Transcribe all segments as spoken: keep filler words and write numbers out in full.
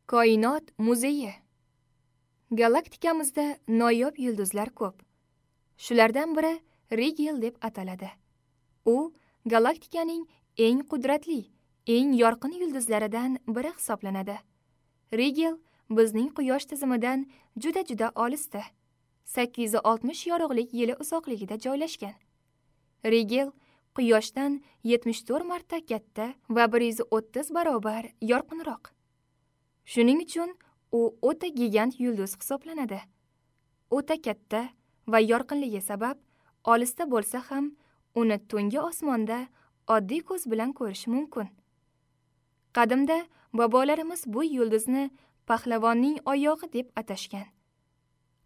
Koinot muzeyi. Galaktikamizda noyob yulduzlar ko'p. Shulardan biri Rigel deb ataladi. U galaktikaning eng qudratli, eng yorqin yulduzlaridan biri hisoblanadi. Rigel bizning Quyosh tizimidan juda-juda olisda, sakkiz yuz oltmish yorug'lik yili uzoqligida joylashgan. Rigel Quyoshdan yetmish to'rt marta katta va bir yuz o'ttiz barobar yorqinroq. Shuning uchun u o'ta gigant yulduz hisoblanadi. O'ta katta va yorqinligi sabab olisda bo'lsa ham uni tungi osmonda oddiy ko'z bilan ko'rish mumkin. Qadimda bobolarimiz bu yulduzni pahlavonning oyog'i deb atashgan.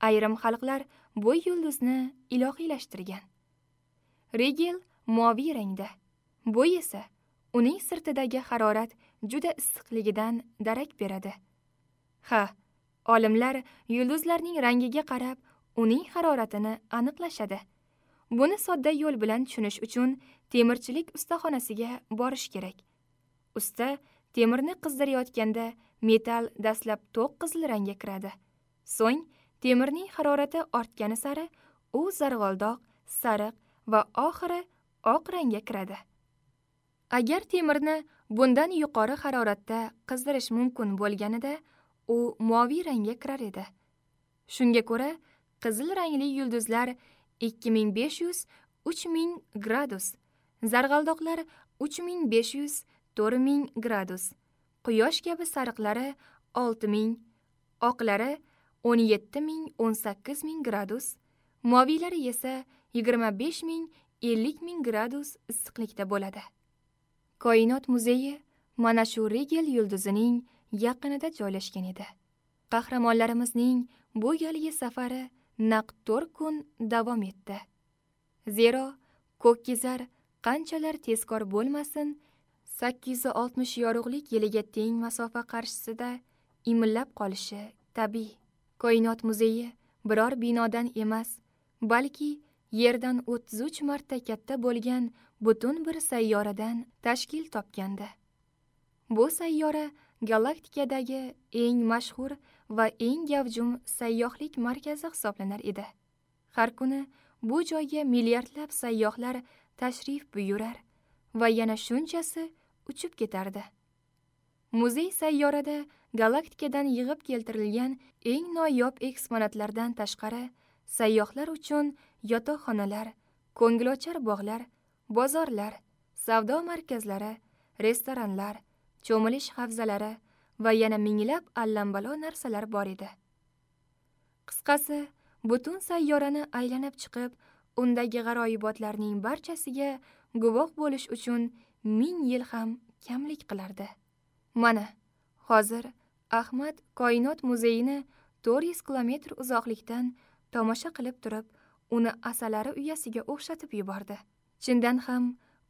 Ayrim xalqlar bu yulduzni ilohiylashtirgan. Rigel moviy rangda. Bu esa uning sirtidagi harorat juda issiqligidan darak beradi. Ha, olimlar yulduzlarning rangiga qarab uning haroratini aniqlashadi. Buni sodda yo'l bilan tushunish uchun temirchilik ustaxonasiga borish kerak. Usta temirni qizdirayotganda metal dastlab to'q qizil rangga kiradi. So'ng temirning harorati ortgani sari u zarg'oldoq, sariq va oxiri oq rangga kiradi. Agar temirni bundan yuqori haroratda qizdirish mumkin bo'lganida, u moviy rangga kirar edi. Shunga ko'ra, qizil rangli yulduzlar ikki ming besh yuz uch ming gradus, zarg'aldoqlar uch ming besh yuz to'rt ming gradus, quyosh kabi sariqlari olti ming, oqlari o'n yetti ming o'n sakkiz ming gradus, moviylari esa yigirma besh ming ellik ming gradus issiqlikda bo'ladi. Koinot muzeyi mana shu Rigel yulduzining yaqinida joylashgan edi. Qahramonlarimizning bu galgi safari naq to'rt kun davom etdi. Zero ko'kkizar qanchalar tezkor bo'lmasin, sakkiz yuz oltmish yorug'lik yiliga teng masofa qarshisida imillab qolishi tabiiy. Koinot muzeyi biror binodan emas, balki yerdan o'ttiz uch marta katta bo'lgan butun bir sayyoradan tashkil topgandi. Bu sayyora galaktikadagi eng mashhur va eng gavjum sayyohlik markazi hisoblanar edi. Har kuni bu joyga milliardlab sayyohlar tashrif buyurar va yana shunchasi uchib ketardi. Muzey sayyorada galaktikadan yig'ib keltirilgan eng noyob eksponatlardan tashqari sayyohlar uchun yotoqxonalar, ko'ngilochar bog'lar, bozorlar, savdo markazlari, restoranlar, cho'milish havzalari va yana minglab allambalo narsalar bor edi. Qisqasi, butun sayyorani aylanib chiqib, undagi g'aroyibotlarning barchasiga guvoh bo'lish uchun ming yil ham kamlik qilardi. Mana, hozir Ahmad Koinot muzeyini to'rt yuz kilometr uzoqlikdan tomosha qilib turib, uni asalari uyasiga o'xshatib yubordi. Chindan ham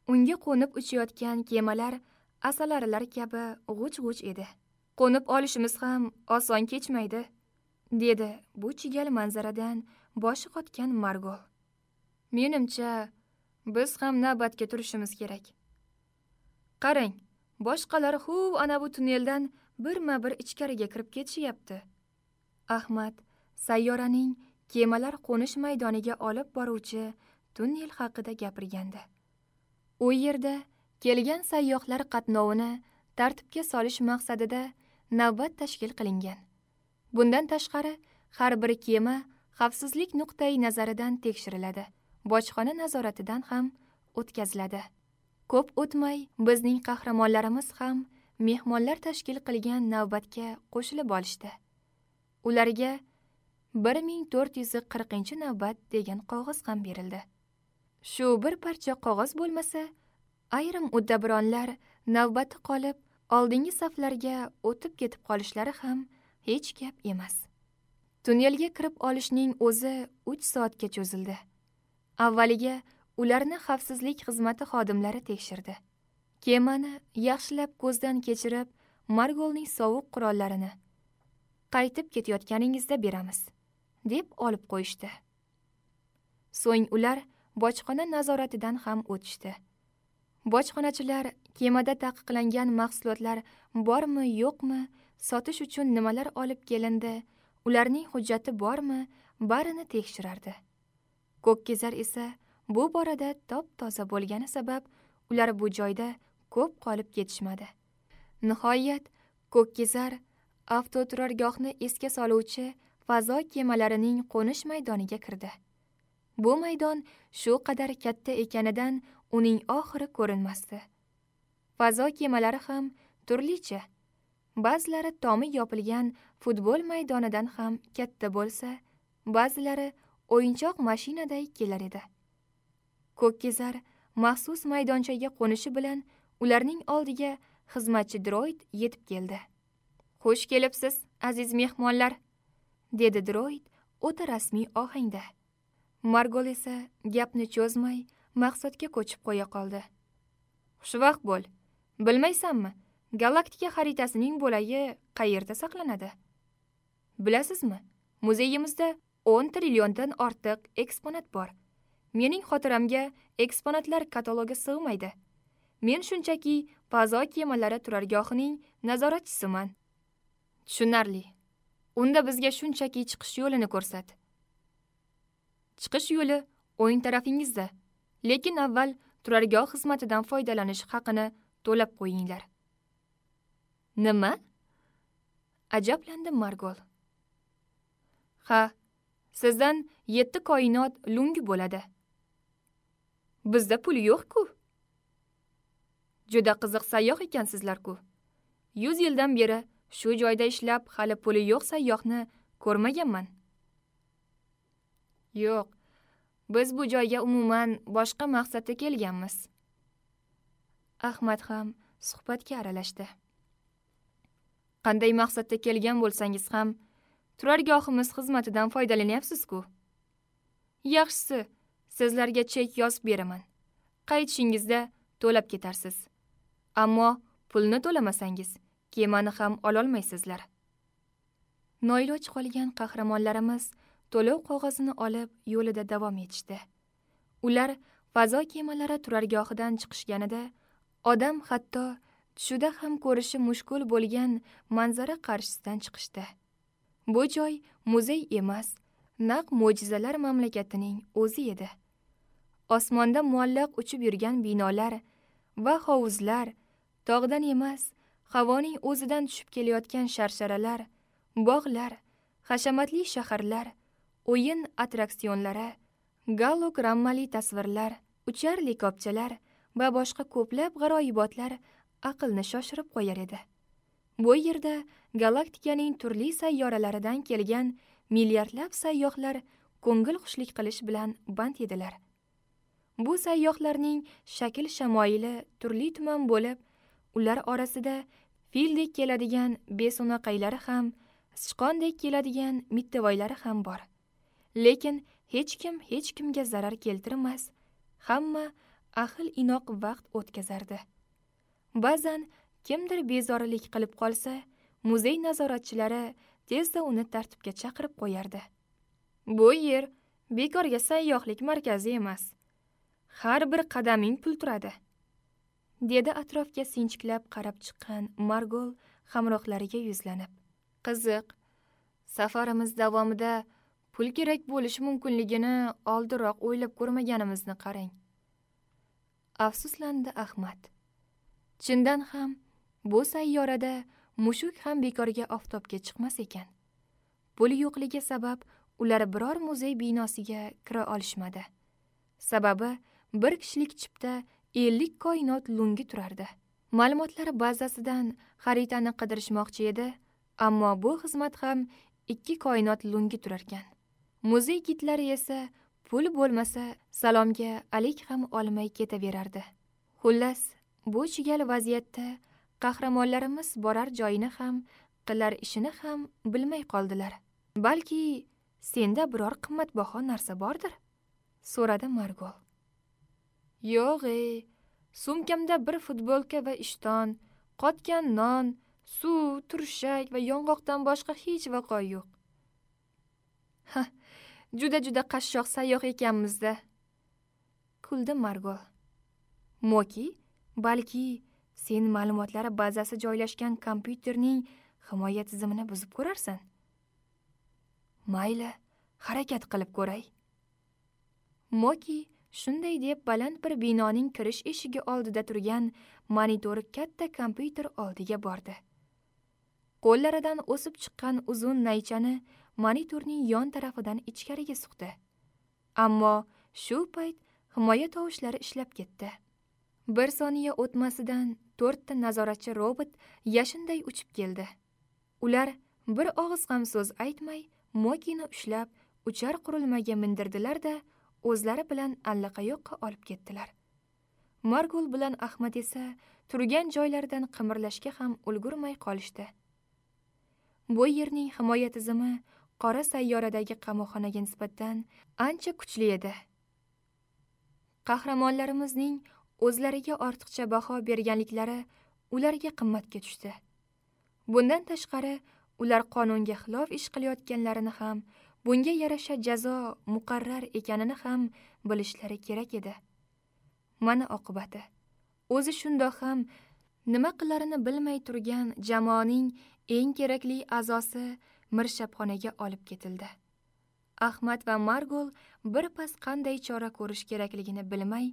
unga qo'nib uchayotgan kemalar asalarilar kabi g'uj-g'uj edi. Qo'nib olishimiz ham oson kechmaydi, dedi bu chigal manzaradan boshi qotgan Margol. Menimcha, biz ham navbatga turishimiz kerak. Qarang, boshqalar huv ana bu tunneldan birma-bir ichkariga kirib ketishyapti. Ahmad sayyoraning kemalar qo'nish maydoniga olib boruvchi tunnel haqida gapirgandi. U yerda kelgan sayyohlar qatnovini tartibga solish maqsadida navbat tashkil qilingan. Bundan tashqari, har bir kema xavfsizlik nuqtai nazaridan tekshiriladi, bojxona nazoratidan ham o'tkaziladi. Ko'p o'tmay bizning qahramonlarimiz ham mehmonlar tashkil qilgan navbatga qo'shilib olishdi. Ularga bir ming to'rt yuz qirqinchi navbat degan qog'oz ham berildi. Shu bir parcha qog'oz bo'lmasa, ayrim uddaburonlar navbati qolib, oldingi saflarga o'tib ketib qolishlari ham hech gap emas. Tunnelga kirib olishning o'zi uch soatga cho'zildi. Avvaliga ularni xavfsizlik xizmati xodimlari tekshirdi. Kemani yaxshilab ko'zdan kechirib, Margolning sovuq qurollarini qaytib ketayotganingizda beramiz, deb olib qo'yishdi. So'ng ular bojxona nazoratidan ham o'tishdi. Bojxonachilar kemada taqiqlangan mahsulotlar bormi, yo'qmi sotish uchun nimalar olib kelindi, ularning hujjati bormi, barini tekshirardi. Ko'kkezar esa bu borada top-toza bo'lgani sabab ular bu joyda ko'p qolib ketishmadi. Nihoyat Ko'kkezar avtoturargohni esga soluvchi fazo kemalarining qo'nish maydoniga kirdi. Bu maydon shu qadar katta ekanidan uning oxiri ko'rinmasdi. Fazo kemalari ham turlicha. Ba'zilari tomi yopilgan futbol maydonidan ham katta bo'lsa, ba'zilari o'yinchoq mashinaday kelar edi. Ko'kkezar maxsus maydonchaga qo'nishi bilan ularning oldiga xizmatchi droid yetib keldi. "Xush kelibsiz, aziz mehmonlar", dedi droid o'ta rasmiy ohangda. Margol esa gapni cho'zmay maqsadga ko'chib qo'ya qoldi. "Xushvaqt bo'l. Bilmaysanmi, galaktika xaritasining bo'lagi qayerda saqlanadi? Bilasizmi, muzeyimizda o'n trilliondan ortiq eksponat bor. Mening xotiramga eksponatlar katalogi sig'maydi. Men shunchaki fazo kemalari turargohining nazoratchisiman." "Tushunarli. Unda bizga shunchaki chiqish yo'lini ko'rsat." "Chiqish yo'li o'ng tarafingizda, lekin avval turargoh xizmatidan foydalanish haqini to'lab qo'yinglar." "Nima?" ajablandi Margol. "Ha, sizdan yetti koinot lungi bo'ladi." "Bizda pul yo'q-ku." "Juda qiziq sayyoh ekansizlar-ku. Yuz yildan beri shu joyda ishlab hali puli yo'q sayyohni ko'rmaganman." "Yo'q, biz bu joyga umuman boshqa maqsadda kelganmiz." Ahmad ham suhbatga aralashdi. "Qanday maqsadda kelgan bo'lsangiz ham turargohimiz xizmatidan foydalanyapsiz-ku. Yaxshisi, sizlarga chek yozib beraman. Qaytishingizda to'lab ketarsiz. Ammo pulni to'lamasangiz, kemani ham ololmaysizlar." Noiloj qolgan qahramonlarimiz to'lov qog'ozini olib yo'lida davom etishdi. Ular fazo kemalari turargohidan chiqishganida odam hatto tushida ham ko'rishi mushkul bo'lgan manzara qarshisidan chiqishdi. Bu joy muzey emas, naq mo'jizalar mamlakatining o'zi edi. Osmonda muallaq uchib yurgan binolar va hovuzlar, tog'dan emas, havoning o'zidan tushib kelayotgan sharsharalar, bog'lar, hashamatli shaharlar, o'yin attraksionlari, gologrammali tasvirlar, uchar likopchalar va boshqa ko'plab g'aroyibotlar aqlni shoshirib qo'yar edi. Bu yerda galaktikaning turli sayyoralaridan kelgan milliardlab sayyohlar ko'ngil xushlik qilish bilan band edilar. Bu sayyohlarning shakl shamoyili turli tuman bo'lib, ular orasida fildek keladigan beso'naqaylari ham, sichqondek keladigan mittavoylari ham bor. Lekin hech kim hech kimga zarar keltirmas, hamma ahil inoq vaqt o'tkazardi. Ba'zan kimdir bezorilik qilib qolsa, muzey nazoratchilari tezda uni tartibga chaqirib qo'yardi. "Bu yer bekorga sayyohlik markazi emas. Har bir qadaming pul turadi", dedi atrofga sinchiklab qarab chiqqan Margol hamrohlariga yuzlanib. "Qiziq, safarimiz davomida pul kerak bo'lishi mumkinligini oldinroq o'ylab ko'rmaganimizni qarang", afsuslandi Ahmad. Chindan ham bu sayyorada mushuk ham bekorga oftobga chiqmas ekan. Pul yo'qligi sabab ular biror muzey binosiga kira olishmadi. Sababi bir kishilik chipta ellik koinot lungi turardi. Ma'lumotlar bazasidan xaritani qidirishmoqchi edi, ammo bu xizmat ham ikki koinot lungi turarkan. Muzey gidlari esa pul bo'lmasa salomga alik ham olmay ketaverardi. Xullas, bu chigal vaziyatda qahramonlarimiz borar joyini ham, qilar ishini ham bilmay qoldilar. "Balki senda biror qimmatbaho narsa bordir?" so'radi Margol. "Yo'q, ey, sumkamda bir futbolka va ishton, qotgan non, suv, turshak va yong'oqdan boshqa hech vaqo yo'q." "Ha, juda-juda qashshoq sayyoh ekanmiz-da", kuldi Margol. "Moki, balki sen ma'lumotlar bazasi joylashgan kompyuterning himoya tizimini buzib ko'rarsan. Mayli, harakat qilib ko'ray. Moki shunday deb baland bir binoning kirish eshigi oldida turgan monitori katta kompyuter oldiga bordi. Qo'llaridan o'sib chiqqan uzun naychani monitorning yon tarafidan ichkariga suqdi. Ammo shu payt himoya tovushlari ishlab ketdi. Bir soniya o'tmasidan to'rtta nazoratchi robot yashinday uchib keldi. Ular bir og'iz ham so'z aytmay Mokini ushlab uchar qurilmaga mindirdilar-da, o'zlari bilan allaqayoqqa olib ketdilar. Margul bilan Ahmad esa turgan joylaridan qimirlashga ham ulgurmay qolishdi. Bu yerning himoya tizimi qora sayyoradagi qamoqxonaga nisbatan ancha kuchli edi. Qahramonlarimizning o'zlariga ortiqcha baho berganliklari ularga qimmatga tushdi. Bundan tashqari, ular qonunga xilof ish qilayotganlarini ham, bunga yarasha jazo muqarrar ekanini ham bilishlari kerak edi. Mana oqibati. O'zi shundoq ham nima qilarini bilmay turgan jamoaning eng kerakli a'zosi mirshabxonaga olib ketildi. Ahmad va Margul bir pas qanday chora ko'rish kerakligini bilmay,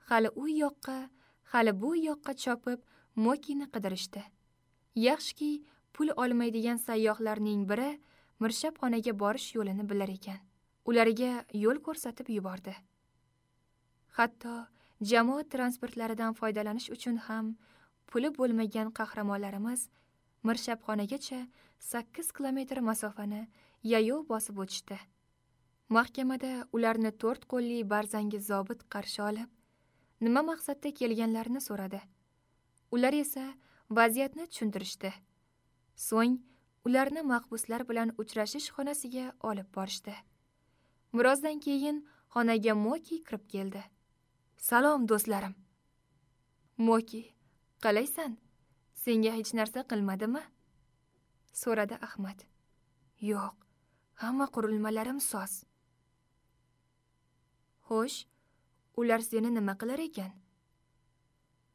hali u yoqqa, hali bu yoqqa chopib Mokini qidirishdi. Yaxshiki, pul olmaydigan sayyohlarning biri mirshabxonaga borish yo'lini bilar ekan. Ularga yo'l ko'rsatib yubordi. Hatto jamoat transportlaridan foydalanish uchun ham puli bo'lmagan qahramonlarimiz mirshabxonagacha sakkiz kilometr masofani yayov bosib o'tishdi. Mahkamada ularni to'rt qo'lli barzangi zobit qarshi olib, nima maqsadda kelganlarini so'radi. Ular esa vaziyatni tushuntirishdi. So'ng ularni mahbuslar bilan uchrashish xonasiga olib borishdi. Birozdan keyin xonaga Moki kirib keldi. "Salom do'stlarim." "Moki, qalaysan? Senga hech narsa qilmadimi?" so'radi Ahmad. "Yo'q, hamma qurilmalarim soz." "Xo'sh, ular seni nima qilar ekan?"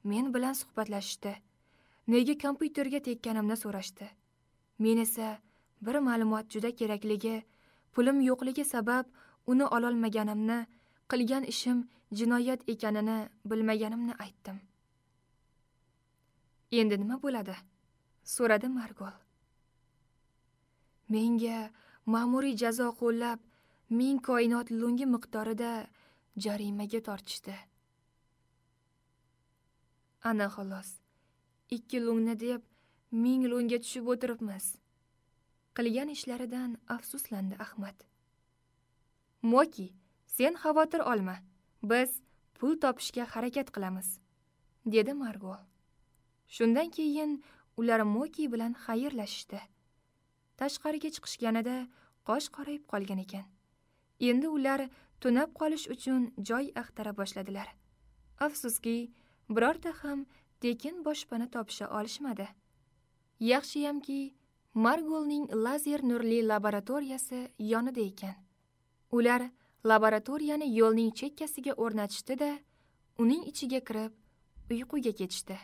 "Men bilan suhbatlashishdi. Nega kompyuterga tekkanimni so'rashdi. Men esa bir ma'lumot juda kerakligi, pulim yo'qligi sabab uni ololmaganimni, qilgan ishim jinoyat ekanini bilmaganimni aytdim." "Endi nima bo'ladi?" so'radi Margol. "Menga ma'muriy jazo qo'llab, ming koinot lungi miqdorida jarimaga tortishdi." Ana xolos, ikki lungni deb ming lungga tushib o'tiribmiz. Qilgan ishlaridan afsuslandi Ahmad. "Moki, sen xavotir olma. Biz pul topishga harakat qilamiz", dedi Margol. Shundan keyin ular Moki bilan xayrlashishdi. Tashqariga chiqishganida qosh qorayib qolgan ekan. Endi ular tunab qolish uchun joy axtara boshladilar. Afsuski, birorta ham tekin boshpana topisha olishmadi. Yaxshiyamki, Margolning lazer nurli laboratoriyasi yonida ekan. Ular laboratoriyani yo'lning chekkasiga o'rnatishdi-da, uning ichiga kirib uyquga ketishdi.